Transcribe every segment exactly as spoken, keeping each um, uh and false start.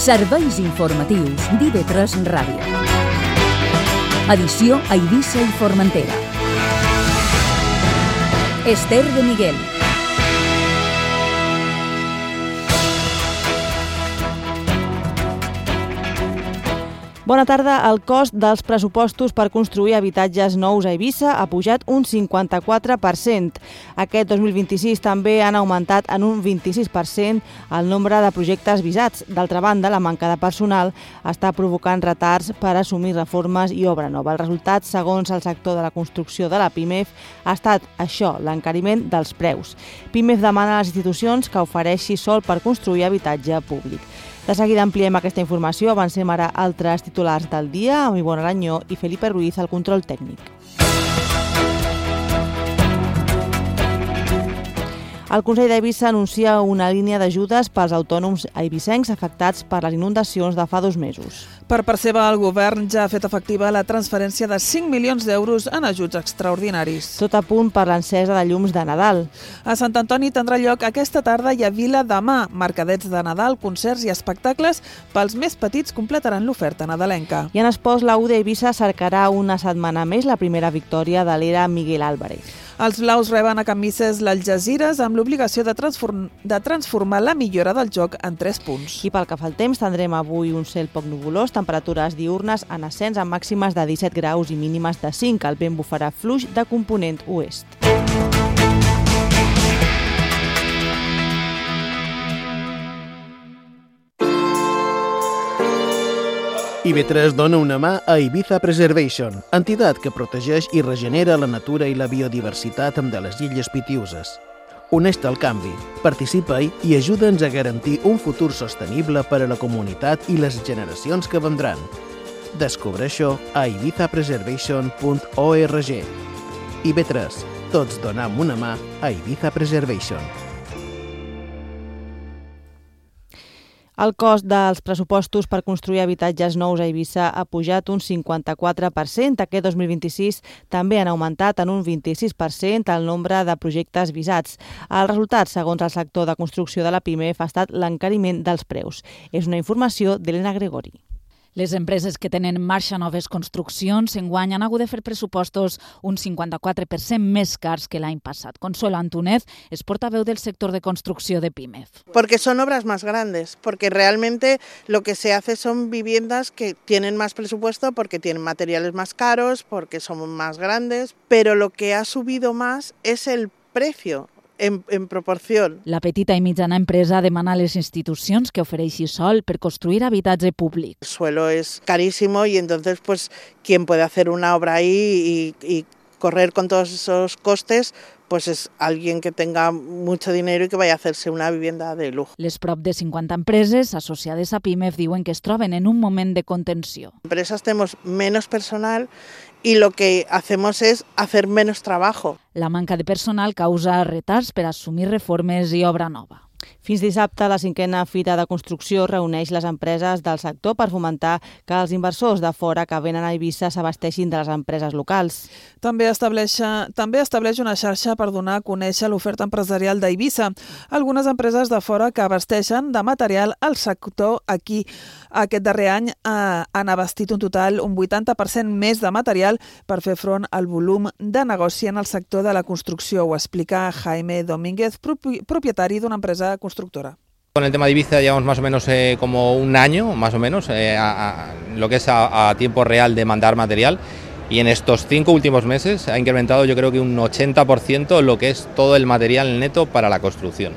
Serveis informatius d'I V tres Ràdio. Edició a Eivissa i Formentera. Esther de Miguel. Bona tarda. El cost dels pressupostos per construir habitatges nous a Eivissa ha pujat un cinquanta-quatre per cent. Aquest dos mil vint-i-sis també han augmentat en un vint-i-sis per cent el nombre de projectes visats. D'altra banda, la manca de personal està provocant retards per assumir reformes i obra nova. El resultat, segons el sector de la construcció de la PIMEF, ha estat això, l'encariment dels preus. PIMEF demana a les institucions que ofereixi sòl per construir habitatge públic. De seguida ampliem aquesta informació. Avancem ara altres titulars del dia, amb Ivonne Aranyó i Felipe Ruiz al control tècnic. El Consell d'Eivissa anuncia una línia d'ajudes pels autònoms eivissencs afectats per les inundacions de fa dos mesos. Per part seva, el govern ja ha fet efectiva la transferència de cinc milions d'euros en ajuts extraordinaris. Tot a punt per l'encesa de llums de Nadal. A Sant Antoni tindrà lloc aquesta tarda i a Vila demà. Mercadets de Nadal, concerts i espectacles pels més petits completaran l'oferta nadalenca. I en esports, la U d'Eivissa cercarà una setmana més la primera victòria de l'era Miguel Álvarez. Els blaus reben a Camises l'Algesires amb l'obligació de, transform de transformar la millora del joc en tres punts. I pel que fa al temps, tindrem avui un cel poc nuvolós, temperatures diürnes en ascens amb màximes de disset graus i mínimes de cinc. El vent bufarà fluix de component oest. I V tres dona una mà a Ibiza Preservation, entitat que protegeix i regenera la natura i la biodiversitat de les illes Pitiüses. Uneix-te al canvi, participa-hi i ajuda'ns a garantir un futur sostenible per a la comunitat i les generacions que vendran. Descobreix-ho a ibiza preservation punt org. I V tres, tots donam una mà a Ibiza Preservation. El cost dels pressupostos per construir habitatges nous a Eivissa ha pujat un cinquanta-quatre per cent. Aquest dos mil vint-i-sis també han augmentat en un vint-i-sis per cent el nombre de projectes visats. El resultat, segons el sector de construcció de la PIMEF, ha estat l'encariment dels preus. És una informació d'Helena Gregori. Les empreses que tenen en marxa noves construccions enguany han hagut de fer pressupostos un cinquanta-quatre per cent més cars que l'any passat. Consuelo Antúnez es portaveu del sector de construcció de PIMEF. Porque son obras más grandes, porque realmente lo que se hace son viviendas que tienen más presupuesto porque tienen materiales más caros, porque son más grandes, pero lo que ha subido más es el precio. En, en proporción. La petita i mitjana empresa demana a les institucions que ofereixi sòl per construir habitatge públic. El suelo es carísimo y entonces pues quien puede hacer una obra ahí y, y correr con todos esos costes pues es alguien que tenga mucho dinero y que vaya a hacerse una vivienda de lujo. Les prop de cinquanta empreses associades a PIMEF diuen que es troben en un moment de contenció. Empresas tenemos menos personal y lo que hacemos es hacer menos trabajo. La manca de personal causa retards per assumir reformes i obra nova. Fins dissabte, la cinquena Fira de Construcció reuneix les empreses del sector per fomentar que els inversors de fora que venen a Eivissa s'abasteixin de les empreses locals. També estableix, també estableix una xarxa per donar a conèixer l'oferta empresarial d'Eivissa. Algunes empreses de fora que abasteixen de material al sector aquí. Aquest darrer any eh, han abastit un total un vuitanta per cent més de material per fer front al volum de negoci en el sector de la construcció. Ho explica Jaime Domínguez, propietari d'una empresa constructora. Con el tema de Ibiza llevamos más o menos eh, como un año, más o menos, eh, a, a, lo que es a, a tiempo real de mandar material, y en estos cinco últimos meses ha incrementado yo creo que un ochenta por ciento lo que es todo el material neto para la construcción.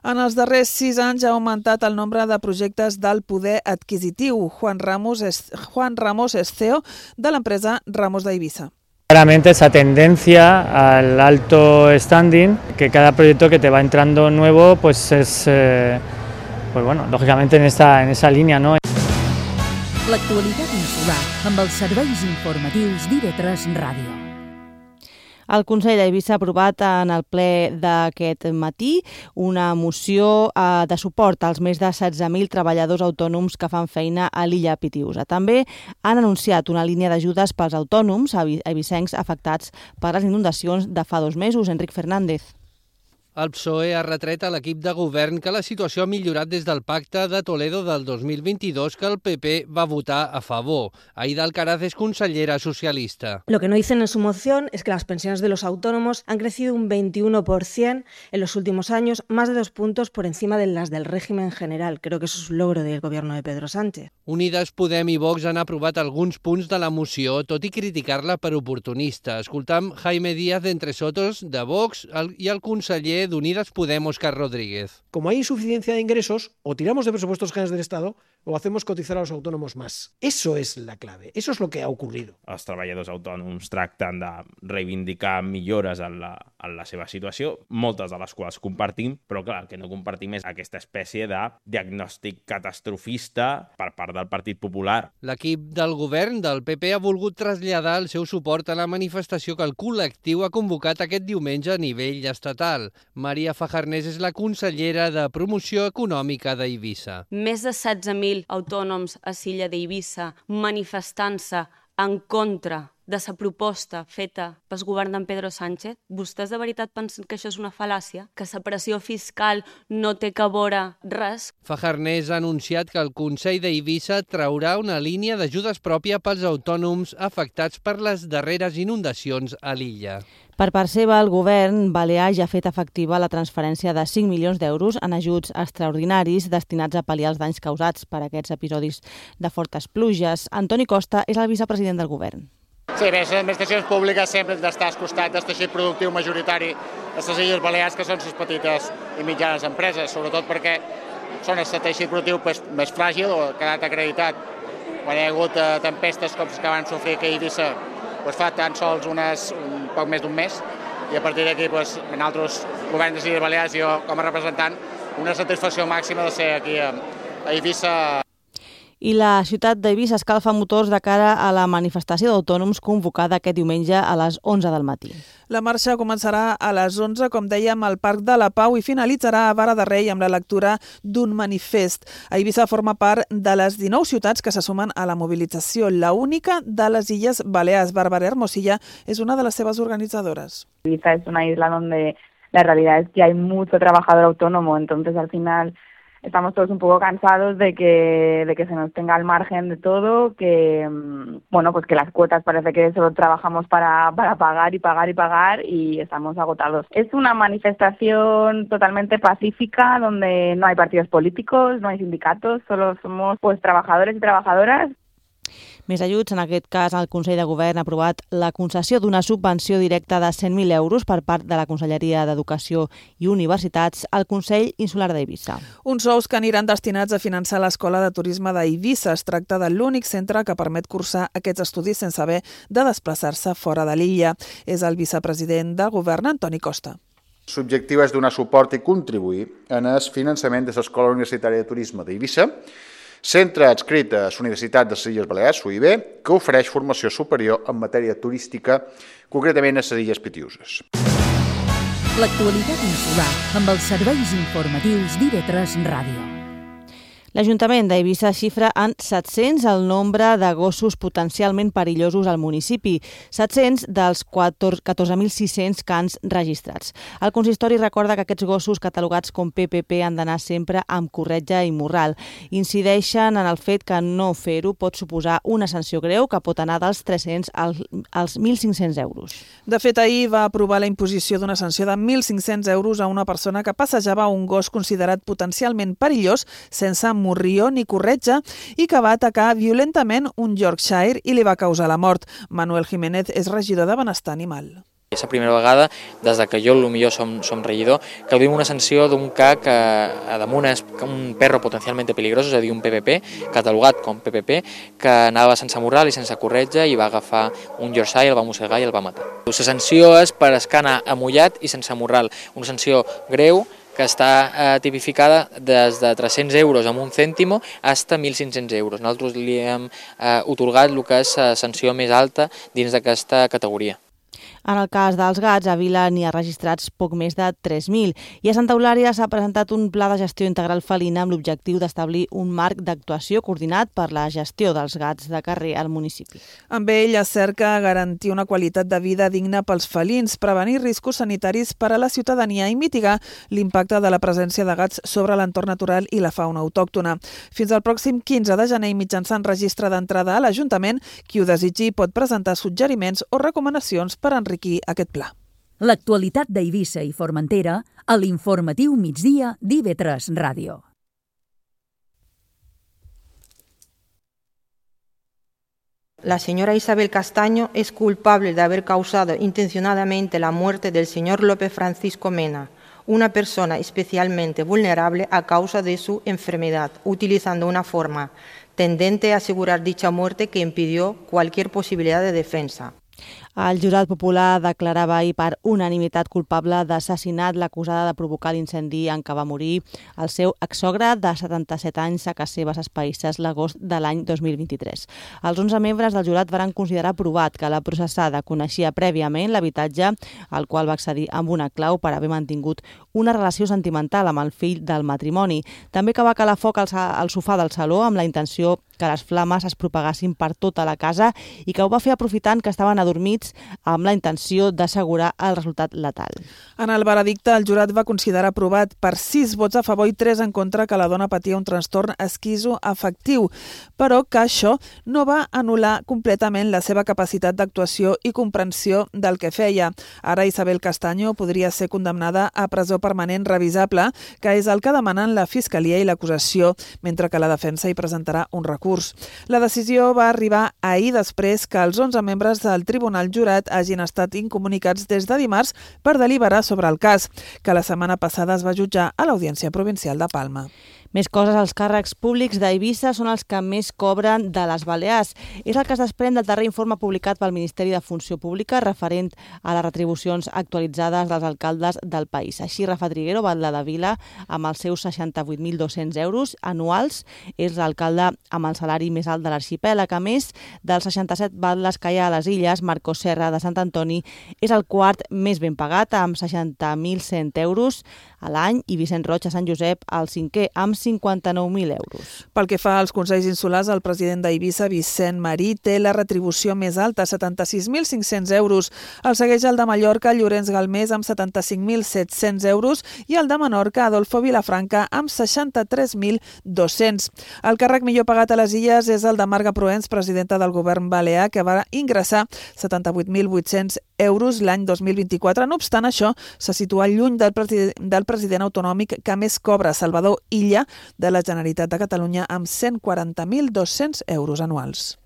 En els darrers sis anys ha augmentat el nombre de projectes del poder adquisitiu. Juan Ramos és, Juan Ramos és C E O de l'empresa Ramos d'Eivissa. Claramente esa tendencia al alto standing, que cada proyecto que te va entrando nuevo, pues es, eh, pues bueno, lógicamente en esta en esa línea, ¿no? L'actualitat insular amb els serveis informatius d'I V tres Ràdio. El Consell d'Eivissa ha aprovat en el ple d'aquest matí una moció eh, de suport als més de setze mil treballadors autònoms que fan feina a l'illa Pitiüsa. També han anunciat una línia d'ajudes pels autònoms eivissencs afectats per les inundacions de fa dos mesos. Enric Fernández. El P S O E ha retret a l'equip de govern que la situació ha millorat des del pacte de Toledo del dos mil veintidós que el P P va votar a favor. Aida Alcaraz es consellera socialista. Lo que no dicen en su moción es que las pensiones de los autónomos han crecido un veintiuno por ciento en los últimos años, más de dos puntos por encima de las del régimen general. Creo que eso es un logro del gobierno de Pedro Sánchez. Unides Podem i Vox han aprovat alguns punts de la moció, tot i criticar-la per oportunista. Escoltam Jaime Díaz d'Entre Sotos, de Vox, i el conseller d'Unidas Podem, Óscar Rodríguez. Como hay insuficiencia de ingresos, o tiramos de presupuestos generales del Estado o hacemos cotizar a los autónomos más. Eso es la clave, eso es lo que ha ocurrido. Els treballadors autònoms tracten de reivindicar millores en la, en la seva situació, moltes de les quals compartim, però clar, el que no compartim és aquesta espècie de diagnòstic catastrofista per part del Partit Popular. L'equip del govern del P P ha volgut traslladar el seu suport a la manifestació que el col·lectiu ha convocat aquest diumenge a nivell estatal. Maria Fajarnés és la consellera de Promoció Econòmica d'Eivissa. Més de setze mil autònoms a l'illa d'Eivissa manifestant-se en contra de la proposta feta pel govern d'en Pedro Sánchez. Vostès de veritat pensen que això és una fal·làcia? Que la pressió fiscal no té que veure res? Fajarnés ha anunciat que el Consell d'Eivissa traurà una línia d'ajudes pròpia pels autònoms afectats per les darreres inundacions a l'illa. Per part seva, el govern balear ja ha fet efectiva la transferència de cinc milions d'euros en ajuts extraordinaris destinats a pal·liar els danys causats per aquests episodis de fortes pluges. Antoni Costa és el vicepresident del govern. Sí, bé, les administracions públiques sempre han d'estar al costat del teixit productiu majoritari de les Illes Balears, que són les petites i mitjanes empreses, sobretot perquè són el teixit productiu pues, més fràgil o ha quedat acreditat. Quan hi ha hagut eh, tempestes com les que van sofrir aquí a Eivissa, pues, fa tan sols unes, un poc més d'un mes, i a partir d'aquí, pues, en altres governs de les Illes Balears, jo com a representant, una satisfacció màxima de ser aquí a, a Eivissa. I la ciutat d'Eivissa escalfa motors de cara a la manifestació d'autònoms convocada aquest diumenge a les onze del matí. La marxa començarà a les onze, com dèiem, al Parc de la Pau i finalitzarà a Vara de Rei amb la lectura d'un manifest. Eivissa forma part de les dinou ciutats que se sumen a la mobilització. La única de les Illes Balears. Bárbara Hermosilla és una de les seves organitzadores. Eivissa es una isla donde la realidad es que hay mucho trabajador autónomo, entonces al final estamos todos un poco cansados de que, de que se nos tenga al margen de todo, que bueno, pues que las cuotas parece que solo trabajamos para, para pagar y pagar y pagar y estamos agotados. Es una manifestación totalmente pacífica donde no hay partidos políticos, no hay sindicatos, solo somos pues trabajadores y trabajadoras. Més ajuts, en aquest cas el Consell de Govern ha aprovat la concessió d'una subvenció directa de cent mil euros per part de la Conselleria d'Educació i Universitats al Consell Insular d'Eivissa. Uns sous que aniran destinats a finançar l'Escola de Turisme d'Eivissa. Es tracta de l'únic centre que permet cursar aquests estudis sense haver de desplaçar-se fora de l'illa. És el vicepresident del Govern, Antoni Costa. L'objectiu és donar suport i contribuir en el finançament de l'Escola Universitària de Turisme d'Eivissa, centre adscrit a la Universitat de les Illes Balears, U I B, que ofereix formació superior en matèria turística, concretament a les Illes Pitiüses. L'actualitat insular amb els serveis informatius d'I V tres Ràdio. L'Ajuntament d'Eivissa xifra en set-cents el nombre de gossos potencialment perillosos al municipi, set-cents dels catorze mil sis-cents cans registrats. El consistori recorda que aquests gossos catalogats com P P P han d'anar sempre amb corretja i morral. Incideixen en el fet que no fer-ho pot suposar una sanció greu que pot anar dels tres-cents als mil cinc-cents euros. De fet, ahir va aprovar la imposició d'una sanció de mil cinc-cents euros a una persona que passejava un gos considerat potencialment perillós sense morrió ni corretja i que va atacar violentament un Yorkshire i li va causar la mort. Manuel Jiménez és regidor de Benestar Animal. És la primera vegada, des que jo potser som, som regidor, que duim una sanció d'un ca que a damunt és un perro potencialment peligrós, és a dir, un P P P, catalogat com P P P, que anava sense morral i sense corretja i va agafar un Yorkshire, el va mossegar i el va matar. La sanció és per escanar amullat i sense morral, una sanció greu que està eh, tipificada des de tres-cents euros amb un cèntimo fins a mil cinc-cents euros. Nosaltres li hem eh, otorgat el que és la sanció més alta dins d'aquesta categoria. En el cas dels gats, a Vila n'hi ha registrats poc més de tres mil i a Santa Eulària s'ha presentat un pla de gestió integral felina amb l'objectiu d'establir un marc d'actuació coordinat per la gestió dels gats de carrer al municipi. Amb ell es cerca garantir una qualitat de vida digna pels felins, prevenir riscos sanitaris per a la ciutadania i mitigar l'impacte de la presència de gats sobre l'entorn natural i la fauna autòctona. Fins al pròxim quinze de gener, mitjançant registre d'entrada a l'Ajuntament, qui ho desitgi pot presentar suggeriments o recomanacions per enriquir aquest pla. L'actualitat d'Eivissa i Formentera a l'informatiu migdia d'I V tres Ràdio. La señora Isabel Castaño es culpable de haber causado intencionadamente la muerte del señor López Francisco Mena, una persona especialmente vulnerable a causa de su enfermedad, utilizando una forma tendente a asegurar dicha muerte que impidió cualquier posibilidad de defensa. El jurat popular declarava ahir per unanimitat culpable d'assassinat l'acusada de provocar l'incendi en què va morir el seu exsogre de setanta-set anys a Cas Seves Espaïsses l'agost de l'any dos mil vint-i-tres. Els onze membres del jurat van considerar provat que la processada coneixia prèviament l'habitatge al qual va accedir amb una clau per haver mantingut una relació sentimental amb el fill del matrimoni. També que va calar foc al, al sofà del saló amb la intenció que les flames es propagassin per tota la casa i que ho va fer aprofitant que estaven adormits amb la intenció d'assegurar el resultat letal. En el veredicte, el jurat va considerar aprovat per sis vots a favor i tres en contra que la dona patia un trastorn esquizoafectiu, però que això no va anul·lar completament la seva capacitat d'actuació i comprensió del que feia. Ara Isabel Castaño podria ser condemnada a presó permanent revisable, que és el que demanen la Fiscalia i l'acusació, mentre que la defensa hi presentarà un recurs. La decisió va arribar ahir després que els onze membres del Tribunal Jurat hagin estat incomunicats des de dimarts per deliberar sobre el cas, que la setmana passada es va jutjar a l'Audiència Provincial de Palma. Més coses, els càrrecs públics d'Eivissa són els que més cobren de les Balears. És el que es desprèn del darrer informe publicat pel Ministeri de Funció Pública referent a les retribucions actualitzades dels alcaldes del país. Així, Rafa Triguero, batlle de Vila, amb els seus seixanta-vuit mil dos-cents euros anuals, és l'alcalde amb el salari més alt de l'arxipèlag. A més, dels seixanta-set batlles que hi ha a les illes, Marcos Serra de Sant Antoni és el quart més ben pagat, amb seixanta mil cent euros a l'any, i Vicent Roig a Sant Josep, el cinquè, amb cinquanta-nou mil euros. Pel que fa als Consells Insulars, el president d'Eivissa, Vicent Marí, té la retribució més alta, setanta-sis mil cinc-cents euros. El segueix el de Mallorca, Llorenç Galmés, amb setanta-cinc mil set-cents euros, i el de Menorca, Adolfo Vilafranca, amb seixanta-tres mil dos-cents. El càrrec millor pagat a les Illes és el de Marga Proens, presidenta del govern balear, que va ingressar setanta-vuit mil vuit-cents euros l'any dos mil vint-i-quatre. No obstant això, se situa lluny del president, del president autonòmic que més cobra, Salvador Illa, de la Generalitat de Catalunya, amb cent quaranta mil dos-cents euros anuals.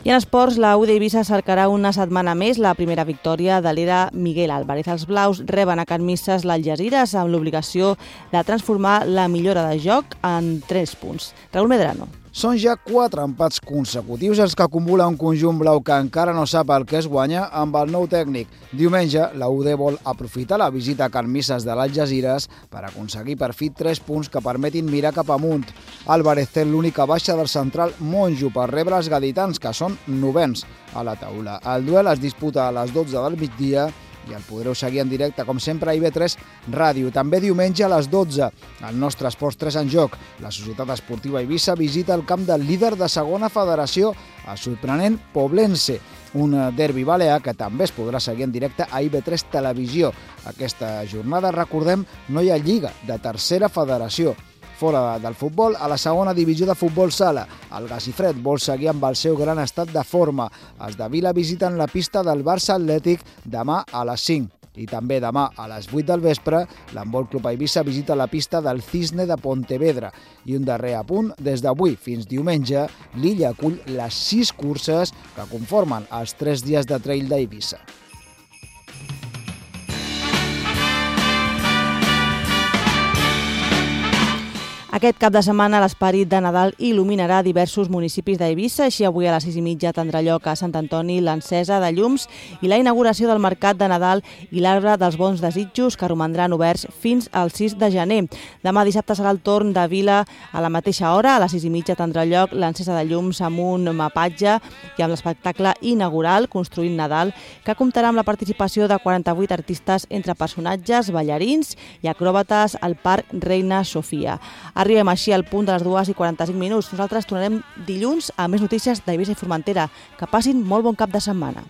I en esports, la U d'Eivissa cercarà una setmana més la primera victòria de l'era Miguel Álvarez. Els blaus reben a Can Misses l'Algesires amb l'obligació de transformar la millora de joc en tres punts. Raúl Medrano. Són ja quatre empats consecutius els que acumula un conjunt blau que encara no sap el que es guanya amb el nou tècnic. Diumenge, la U D vol aprofitar la visita a Can Misses de l'Algesires per aconseguir per fi tres punts que permetin mirar cap amunt. Álvarez té l'única baixa del central Monjo per rebre els gaditans, que són novens a la taula. El duel es disputa a les dotze del migdia i el podreu seguir en directe, com sempre, a I V tres Ràdio. També diumenge a les dotze, el nostre Esports tres en joc. La Societat Esportiva Eivissa visita el camp del líder de segona federació, el sorprenent Poblense. Un derbi balear que també es podrà seguir en directe a I V tres Televisió. Aquesta jornada, recordem, no hi ha lliga de tercera federació. Fora del futbol, a la segona divisió de futbol sala, el Gasifred vol seguir amb el seu gran estat de forma. Els de Vila visiten la pista del Barça Atlètic demà a les cinc. I també demà a les vuit del vespre, l'Handbol Club Eivissa visita la pista del Cisne de Pontevedra. I un darrer apunt, des d'avui fins diumenge, l'illa acull les sis curses que conformen els tres dies de trail d'Eivissa. Aquest cap de setmana l'esperit de Nadal il·luminarà diversos municipis d'Eivissa. Així avui a les sis i mitja tindrà lloc a Sant Antoni l'encesa de llums i la inauguració del Mercat de Nadal i l'Arbre dels Bons Desitjos, que romandran oberts fins al sis de gener. Demà dissabte serà el torn de Vila a la mateixa hora. A les sis i mitja tindrà lloc l'encesa de llums amb un mapatge i amb l'espectacle inaugural Construint Nadal, que comptarà amb la participació de quaranta-vuit artistes entre personatges, ballarins i acròbates al Parc Reina Sofia. Arribem així al punt de les dues i quaranta-cinc minuts. Nosaltres tornarem dilluns a més notícies d'Eivissa i Formentera. Que passin molt bon cap de setmana.